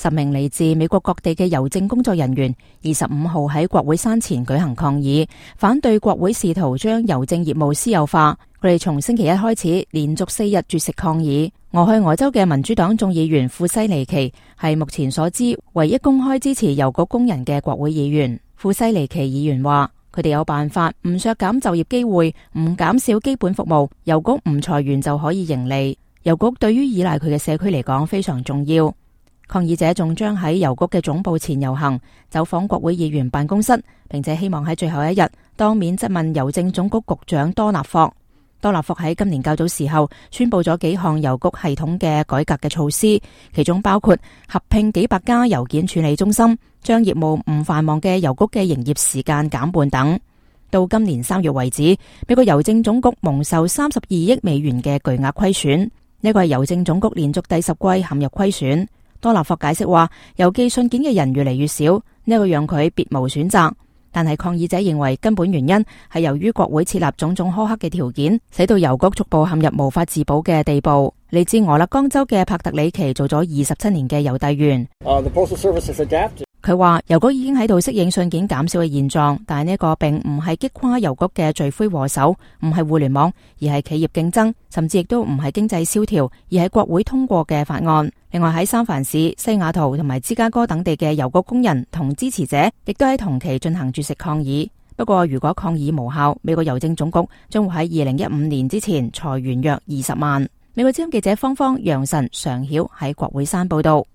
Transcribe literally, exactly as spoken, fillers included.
十名嚟自美國各地嘅郵政工作人員二十五號喺國會山前舉行抗議，反對國會試圖將郵政業務私有化。佢哋從星期一開始連續四日絕食抗議。俄亥俄州嘅民主黨眾議員庫西尼奇係目前所知唯一公開支持郵局工人嘅國會議員。庫西尼奇議員話：佢哋有辦法唔削減就業機會，唔減少基本服務，郵局唔裁員就可以盈利。郵局對於依賴佢嘅社區嚟講非常重要。抗議者仲將喺郵局嘅總部前遊行，走訪國會議員辦公室，並且希望喺最後一日當面質問郵政總局局長多納霍。多納霍喺今年較早時候宣布咗幾項郵局系統嘅改革嘅措施，其中包括合併幾百家郵件處理中心，將業務唔繁忙嘅郵局嘅營業時間減半等。到今年三月為止，美國郵政總局蒙受三十二億美元嘅巨額虧損，呢個係郵政總局連續第十季陷入虧損。多納霍解釋話，郵寄信件嘅人越嚟越少，呢個讓佢別無選擇。但係抗議者認為根本原因係由於國會設立種種苛刻嘅條件，使到郵局逐步陷入無法自保嘅地步。嚟自俄勒岡州嘅帕特里奇做咗二十七年嘅郵遞員。Uh, the Postal Service has adapted. 佢話郵局已經喺度適應信件減少嘅現狀，但係呢個並唔係擊垮郵局嘅罪魁禍首，唔係互聯網，而係企業競爭，甚至亦都唔係經濟蕭條，而係國會通過嘅法案。另外喺三藩市、西雅圖同埋芝加哥等地嘅郵局工人同支持者，亦都喺同期進行絕食抗議。不過如果抗議無效，美國郵政總局將會喺二零一五年之前裁員約二十萬。美國之音記者方方、楊晨、常曉喺國會山報道。